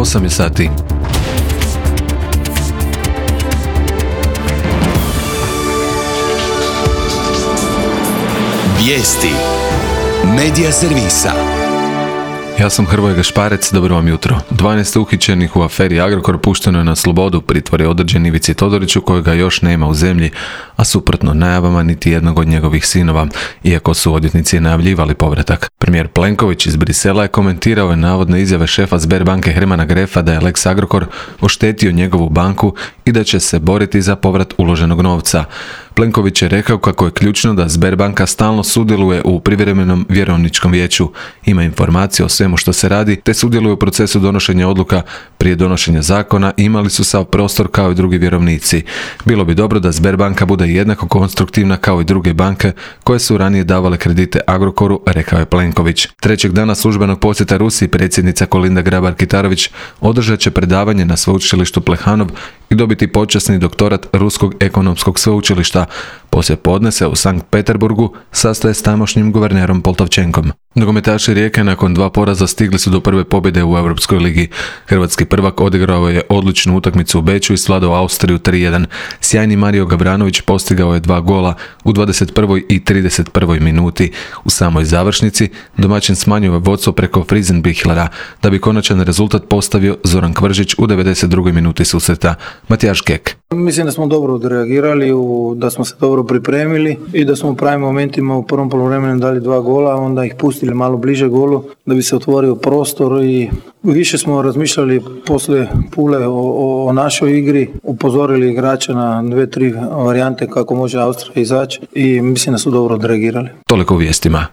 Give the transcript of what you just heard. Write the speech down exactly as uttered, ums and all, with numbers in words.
osam je sati. Vijesti Medija servisa. Ja sam Hrvoje Gašparec, dobro vam jutro. dvanaest uhićenih u aferi Agrokor pušteno je na slobodu, pritvor je određen Ivici Todoriću kojega još nema u zemlji, a suprotno najavama niti jednog od njegovih sinova, iako su odvjetnici najavljivali povratak. Premijer Plenković iz Brisela je komentirao je navodne izjave šefa Sberbanke Hermana Grefa da je Lex Agrokor oštetio njegovu banku i da će se boriti za povrat uloženog novca. Plenković je rekao kako je ključno da Sberbanka stalno sudjeluje u privremenom vjerovničkom vijeću, ima informacije o svemu što se radi, te sudjeluje u procesu donošenja odluka prije donošenja zakona i imali su sav prostor kao i drugi vjerovnici. Bilo bi dobro da Sberbanka bude jednako konstruktivna kao i druge banke koje su ranije davale kredite Agrokoru, rekao je Plenković. Trećeg dana službenog posjeta Rusiji predsjednica Kolinda Grabar-Kitarović održat će predavanje na sveučilištu Plehanov i dobiti počasni doktorat Ruskog ekonomskog sveučilišta. Poslije podne se u Sankt Peterburgu sastaje s tamošnjim guvernerom Poltavčenkom. Nogometaši Rijeke nakon dva poraza stigli su do prve pobjede u Europskoj ligi. Hrvatski prvak odigrao je odličnu utakmicu u Beču i svladao Austriju tri jedan. Sjajni Mario Gavranović postigao je dva gola u dvadeset prvoj i trideset prvoj minuti. U samoj završnici domaćin smanjio je vodstvo preko Friesenbichlera, da bi konačan rezultat postavio Zoran Kvržić u devedeset drugoj minuti susreta. Matijaš Kek. Mislim da smo dobro odreagirali, da smo se dobro pripremili i da smo u pravim momentima u prvom poluvremenu dali dva gola, onda ih pustili malo bliže golu da bi se otvorio prostor i više smo razmišljali poslije Pule o, o, o našoj igri, upozorili igrača na dve, tri varijante kako može Austrija izaći i mislim da su dobro odreagirali. Toliko u vijestima.